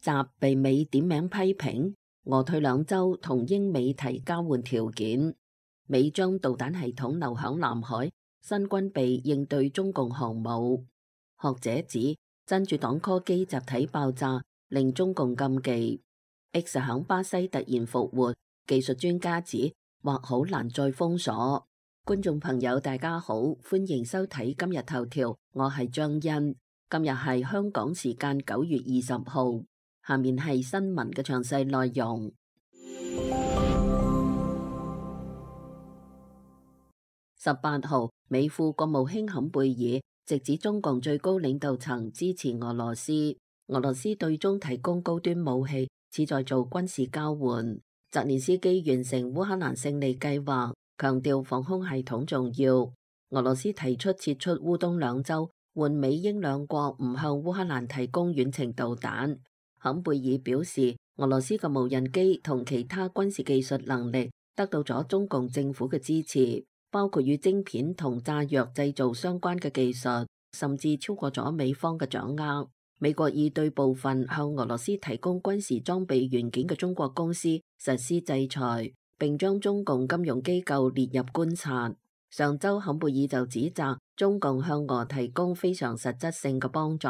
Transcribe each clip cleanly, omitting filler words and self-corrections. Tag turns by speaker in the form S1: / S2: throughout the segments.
S1: 習被美點名批評，俄退兩週同英美提交換條件，美將導彈系統留響南海，新軍備應對中共航母。學者指真主黨 call 機集體爆炸令中共禁忌。X 響巴西突然復活，技術專家指或好難再封鎖。觀眾朋友大家好，歡迎收睇今日頭條，我係張欣。今日係香港時間9月20號，下面係新聞嘅詳細內容。18號，美副國務卿坎貝爾直指中共最高領導層支持俄羅斯，俄羅斯對中提供高端武器，旨在做軍事交換。澤連斯基完成烏克蘭勝利計劃，強調防空系統重要。俄羅斯提出撤出烏東兩州，換美英兩國唔向烏克蘭提供遠程導彈。坎貝爾表示，俄羅斯嘅無人機同其他軍事技術能力得到咗中共政府嘅支持，包括與晶片同炸藥製造相關嘅技術，甚至超過咗美方嘅掌握。美國已對部分向俄羅斯提供軍事裝備元件嘅中國公司實施制裁，並將中共金融機構列入觀察。上周坎貝爾就指責中共向俄提供非常實質性嘅幫助，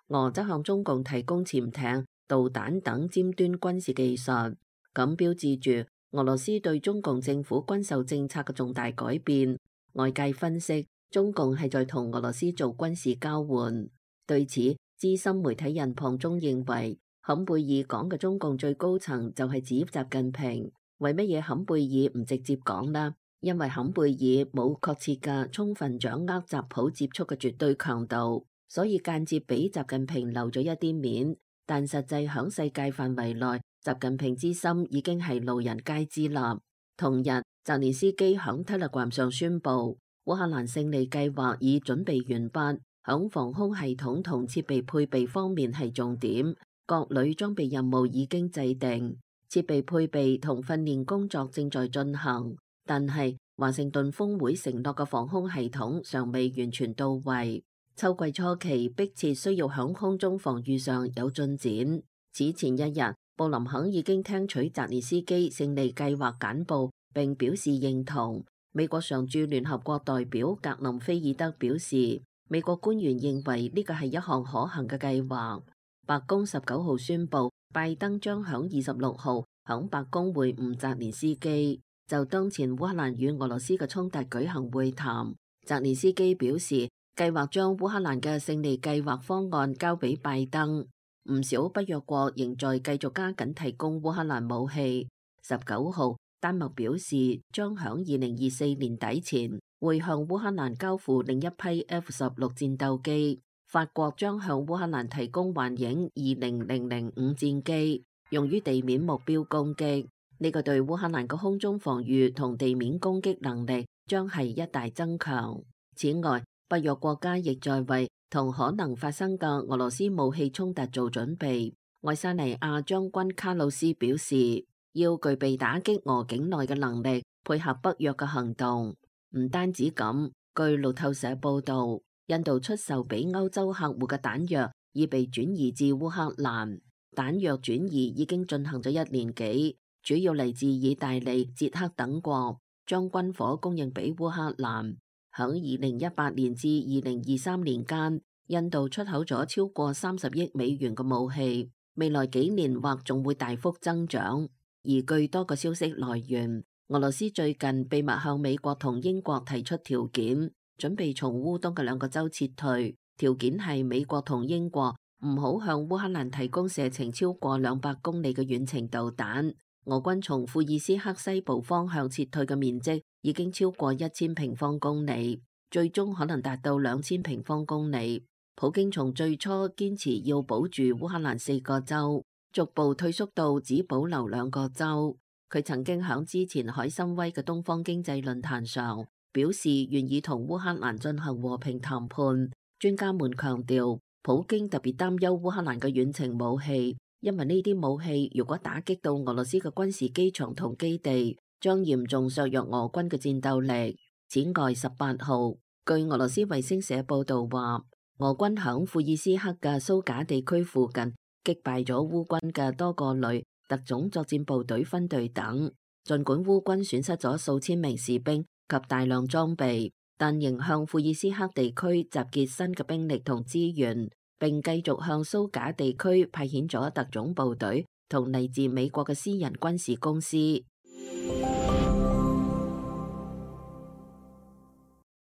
S1: 俄則向中共提供潛艇、導彈等尖端軍事技術，咁標誌住俄羅斯對中共政府軍售政策嘅重大改變。外界分析，中共係在同俄羅斯做軍事交換。對此，資深媒體人龐中認為，坎貝爾講嘅中共最高層就係指習近平。為乜嘢坎貝爾唔直接講呢？因為坎貝爾冇確切嘅充分掌握習普接觸嘅絕對強度，所以間接俾習近平留咗一啲面。但實際響世界範圍內，習近平之心已經係路人皆知啦。同日，澤連斯基響 Telegram 上宣布，烏克蘭勝利計劃已準備完畢，響防空系統同設備配備方面係重點，各類裝備任務已經制定，設備配備同訓練工作正在進行。但係華盛頓峰會承諾嘅防空系統尚未完全到位，秋季初期迫切需要響空中防禦上有進展。此前一日，布林肯已經聽取澤連斯基勝利計劃簡報，並表示認同。美國常駐聯合國代表格林菲爾德表示，美國官員認為呢個係一項可行嘅計劃。白宮19號宣布，拜登將響26號響白宮會晤澤連斯基，就當前烏克蘭與俄羅斯嘅衝突舉行會談。澤連斯基表示，計劃將烏克蘭嘅勝利計劃方案交俾拜登。唔少北約國仍在繼續加緊提供烏克蘭武器。19號，丹麥表示將響2024年底前會向烏克蘭交付另一批 F-16戰鬥機。法國將向烏克蘭提供幻影20005戰機，用於地面目標攻擊。呢個對烏克蘭嘅空中防禦同地面攻擊能力將係一大增強。此外，北約國家亦在為同可能發生嘅俄羅斯武器衝突做準備。愛沙尼亞將軍卡魯斯表示，要具備打擊俄境內嘅能力，配合北約嘅行動。唔單止咁，據路透社報道，印度出售俾歐洲客戶嘅彈藥已被轉移至烏克蘭。彈藥轉移已經進行咗1年幾。主要嚟自意大利、捷克等國，將軍火供應俾烏克蘭。響2018年至2023年間，印度出口咗超過30億美元嘅武器，未來幾年或仲會大幅增長。而據多個消息來源，俄羅斯最近秘密向美國同英國提出條件，準備從烏東嘅2個州撤退。條件係美國同英國唔好向烏克蘭提供射程超過200公里嘅遠程導彈。俄軍從庫爾斯克西部方向撤退嘅面積已經超過1000平方公里，最終可能達到2000平方公里。普京從最初堅持要保住烏克蘭4個州，逐步退縮到只保留2個州。佢曾經響之前海參崴嘅東方經濟論壇上表示願意同烏克蘭進行和平談判。專家們強調，普京特別擔憂烏克蘭嘅遠程武器。因為呢啲武器如果打擊到俄羅斯嘅軍事機場同基地，將嚴重削弱俄軍嘅戰鬥力。此外，18號，據俄羅斯衛星社報道話，俄軍響庫爾斯克嘅蘇賈地區附近擊敗咗烏軍嘅多個旅、特種作戰部隊分隊等。儘管烏軍損失咗數千名士兵及大量裝備，但仍向庫爾斯克地區集結新嘅兵力同資源，並繼續向蘇賈地區派遣咗特種部隊同嚟自美國嘅私人軍事公司。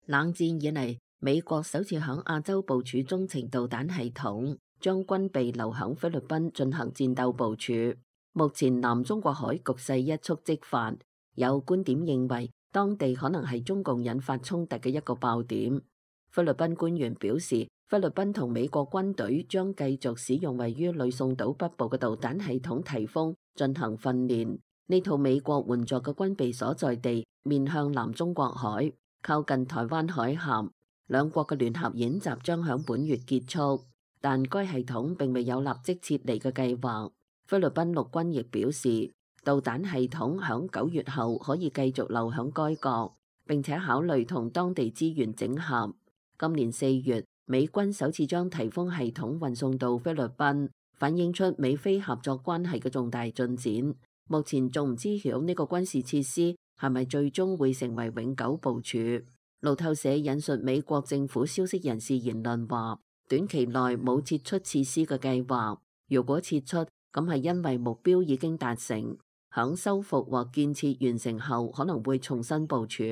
S1: 冷戰以嚟，美國首次響亞洲部署中程導彈系統，將軍備留響菲律賓進行戰鬥部署。目前南中國海局勢一觸即發，有觀點認為當地可能係中共引發衝突嘅一個爆點。菲律賓官員表示，菲律賓同美國軍隊將繼續使用位於呂宋島北部嘅導彈系統提豐進行訓練。呢套美國援助嘅軍備所在地面向南中國海，靠近台灣海峽。兩國嘅聯合演習將響本月結束，但該系統並未有立即撤離嘅計劃。菲律賓陸軍亦表示，導彈系統響9月後可以繼續留響該國，並且考慮同當地資源整合。今年4月，美軍首次將提豐系統運送到菲律賓，反映出美菲合作關係嘅重大進展。目前仲唔知曉呢個軍事設施係咪最終會成為永久部署。路透社引述美國政府消息人士言論話，短期內冇撤出設施嘅計劃。如果撤出，咁係因為目標已經達成，響修復或建設完成後可能會重新部署。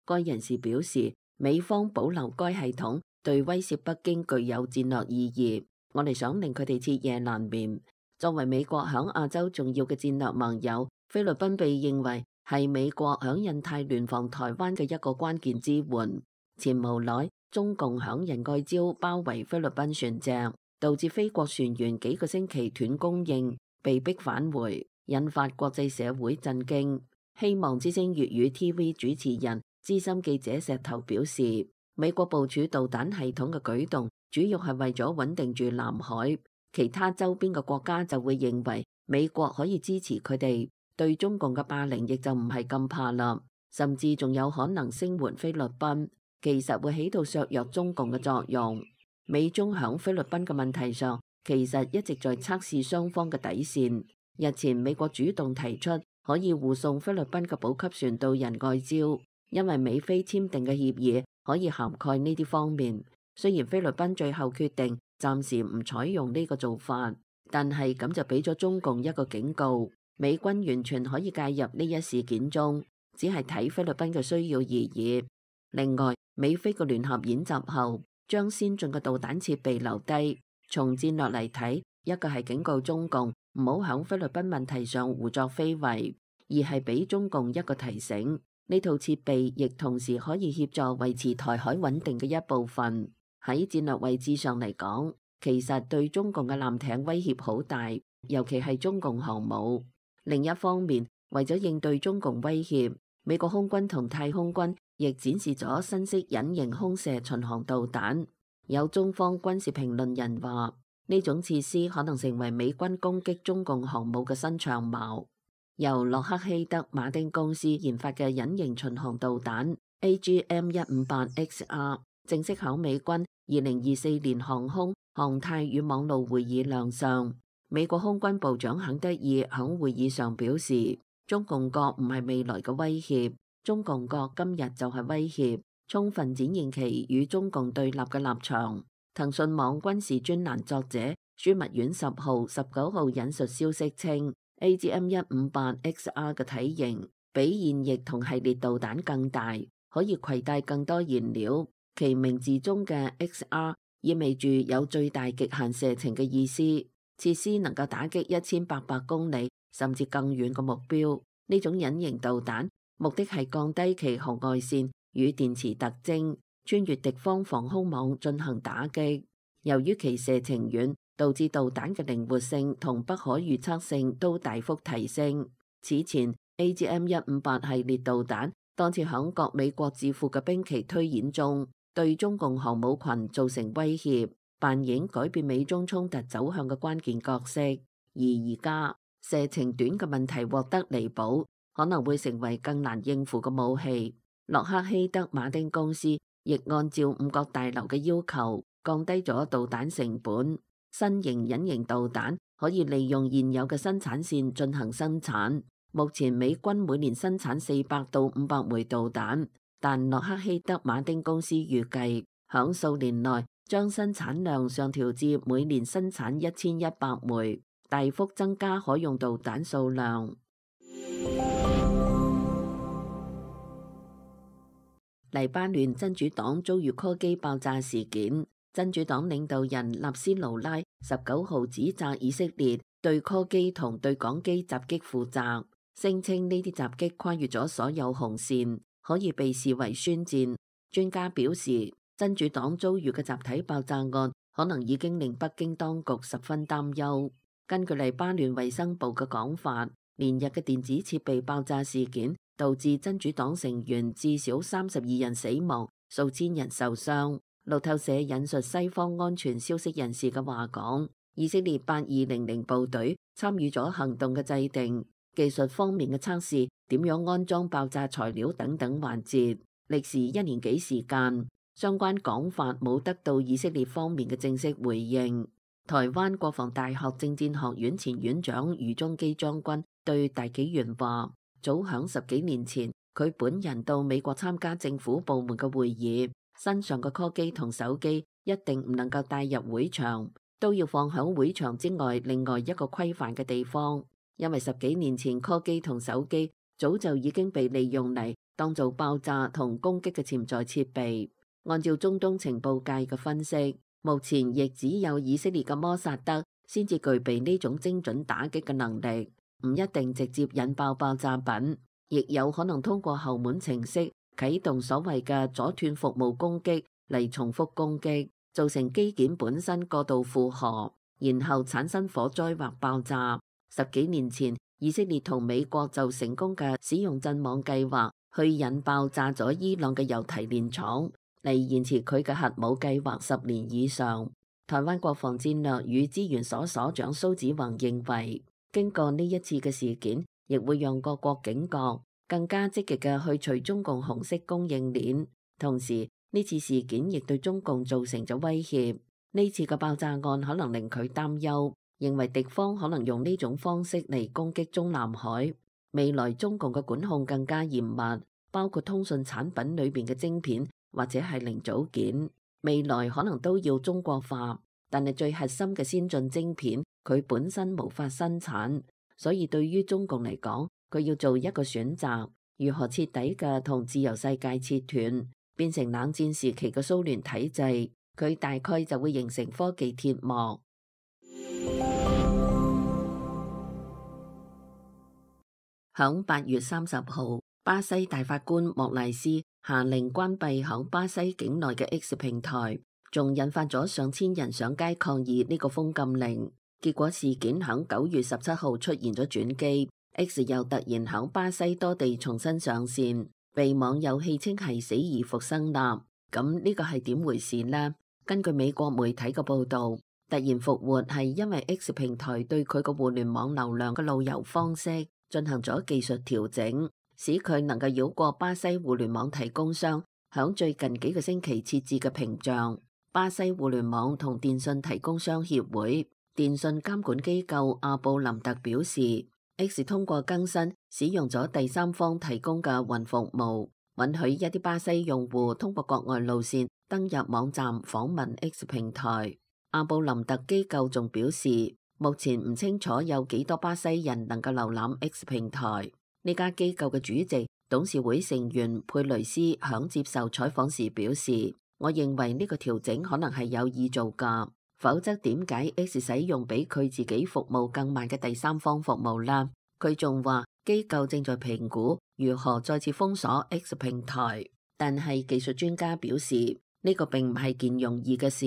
S1: 該人士表示，美方保留該系統對威懾北京具有戰略意義。我哋想令佢哋徹夜難眠。作為美國響亞洲重要嘅戰略盟友，菲律賓被認為係美國響印太聯防台灣嘅一個關鍵支援。前無耐，中共響仁愛礁包圍菲律賓船隻，導致菲國船員幾個星期斷供應，被迫返回，引發國際社會震驚。希望之聲粵語 TV 主持人資深記者石頭表示，美國部署導彈系統嘅舉動主要係為咗穩定住南海，其他周邊嘅國家就會認為美國可以支持佢哋，對中共嘅霸凌亦就唔係咁怕啦，甚至仲有可能聲援菲律賓，其實會起到削弱中共嘅作用。美中響菲律賓嘅問題上，其實一直在測試雙方嘅底線。日前美國主動提出可以護送菲律賓嘅補給船到仁愛礁，因為美菲簽訂嘅協議可以涵蓋呢啲方面。雖然菲律賓最後決定暫時唔採用呢個做法，但係咁就俾咗中共一個警告，美軍完全可以介入呢一事件中，只係睇菲律賓嘅需要而已。另外，美菲嘅聯合演習後，將先進嘅導彈設備留低。從戰略嚟睇，一個係警告中共唔好響菲律賓問題上胡作非為，二係俾中共一個提醒，呢套設備亦同時可以協助維持台海穩定嘅一部分。喺戰略位置上嚟講，其實對中共嘅艦艇威脅好大，尤其係中共航母。另一方面，為咗應對中共威脅，美國空軍同太空軍亦展示咗新式隱形空射巡航導彈。有中方軍事評論人話，呢種設施可能成為美軍攻擊中共航母嘅新長矛。由洛克希德馬丁公司研發嘅隱形巡航導彈 AGM-158XR 正式響美軍2024年航空、航太與網路會議亮相。美國空軍部長肯德爾響會議上表示，中共國唔係未來嘅威脅，中共國今日就係威脅，充分展現其與中共對立嘅立場。騰訊網軍事專欄作者樞密院10號、19號引述消息稱，AGM-158XR 嘅體型比現役同系列導彈更大，可以攜帶更多燃料。其名字中嘅 XR 意味住有最大極限射程嘅意思，設施能夠打擊1800公里甚至更遠嘅目標。呢種隱形導彈目的係降低其紅外線與電磁特徵，穿越敵方防空網進行打擊。由於其射程遠，導致導彈嘅靈活性同不可預測性都大幅提升。此前 AGM-158 系列導彈多次響各美國智庫嘅兵棋推演中，對中共航母群造成威脅，扮演改變美中衝突走向嘅關鍵角色。而家射程短嘅問題獲得彌補，可能會成為更難應付嘅武器。洛克希德馬丁公司亦按照五角大樓嘅要求，降低咗導彈成本。新型隱形導彈可以利用現有嘅生產線進行生產。目前美軍每年生產400到500枚導彈，但洛克希德馬丁公司預計響數年內將生產量上調至每年生產1100枚，大幅增加可用導彈數量。黎巴嫩真主黨遭遇柯基爆炸事件，真主黨領導人納斯魯拉19號指責以色列對柯基同對講機襲擊負責，聲稱呢啲襲擊跨越咗所有紅線，可以被視為宣戰。專家表示，真主黨遭遇嘅集體爆炸案可能已經令北京當局十分擔憂。根據黎巴嫩衛生部嘅講法，連日嘅電子設備爆炸事件導致真主黨成員至少32人死亡，數千人受傷。路透社引述西方安全消息人士嘅話講，以色列8200部隊參與咗行動嘅制定、技術方面嘅測試、點樣安裝爆炸材料等等環節，歷時1年幾時間。相關講法冇得到以色列方面嘅正式回應。台灣國防大學政戰學院前院長余宗基將軍對大紀元話，早響10幾年前，佢本人到美國參加政府部門嘅會議，身上嘅柯基同手機一定唔能夠帶入會場，都要放響會場之外另外一個規範嘅地方，因為10幾年前柯基同手機早就已經被利用嚟當做爆炸同攻擊嘅潛在設備。按照中東情報界嘅分析，目前亦只有以色列嘅摩薩德先至具備呢種精準打擊嘅能力，唔一定直接引爆爆炸品，亦有可能通過後門程式啟動所謂嘅阻斷服務攻擊嚟重複攻擊，造成機件本身過度負荷，然後產生火災或爆炸。10幾年前，以色列同美國就成功嘅使用陣網計劃去引爆炸咗伊朗嘅油提煉廠，嚟延遲佢嘅核武計劃10年以上。台灣國防戰略與資源所所長蘇子宏認為，經過呢一次嘅事件，亦會讓各國警覺，更加積極嘅去除中共紅色供應鏈。同時，呢次事件亦對中共造成咗威脅。呢次嘅爆炸案可能令佢擔憂，認為敵方可能用呢種方式嚟攻擊中南海。未來中共嘅管控更加嚴密，包括通訊產品裏邊嘅晶片或者係零組件，未來可能都要中國化。但係最核心嘅先進晶片，佢本身無法生產，所以對於中共嚟講，佢要做一個選擇，如何徹底嘅同自由世界切斷，變成冷戰時期嘅蘇聯體制，佢大概就會形成科技鐵幕。響8月30號，巴西大法官莫賴斯下令關閉響巴西境內嘅 X 平台，仲引發咗上千人上街抗議呢個封禁令。結果事件響9月17號出現咗轉機， X 又突然響巴西多地重新上線，被網友戲稱係死而復生啦。咁呢個係點回事呢？根據美國媒體嘅報道，突然復活係因為 X 平台對佢個互聯網流量嘅路由方式進行咗技術調整，使佢能夠繞過巴西互聯網提供商響最近幾個星期設置嘅屏障。巴西互聯網同電信提供商協會電信監管機構阿布林特表示， X 通過更新使用咗第三方提供嘅雲服務，允許一啲巴西用戶通過國外路線登入網站訪問 X 平台。阿布林特機構仲表示，目前唔清楚有幾多巴西人能夠瀏覽 X 平台。呢家機構嘅主席、董事會成員佩雷斯響接受採訪時表示，我認為呢個調整可能係有意做㗎，否則點解 X 使用比佢自己服務更慢嘅第三方服務啦？佢仲話機構正在評估如何再次封鎖 X 平台，但係技術專家表示呢個並唔係件容易嘅事，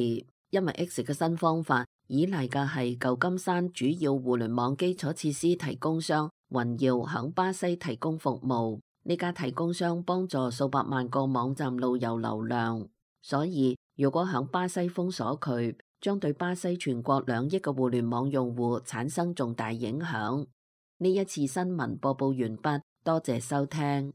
S1: 因為 X 嘅新方法依賴嘅係舊金山主要互聯網基礎設施提供商雲耀響巴西提供服務，呢家提供商幫助數百萬個網站路由流量，所以如果響巴西封鎖佢，將對巴西全國2億個互聯網用戶產生重大影響。呢一次新聞播報完畢，多謝收聽。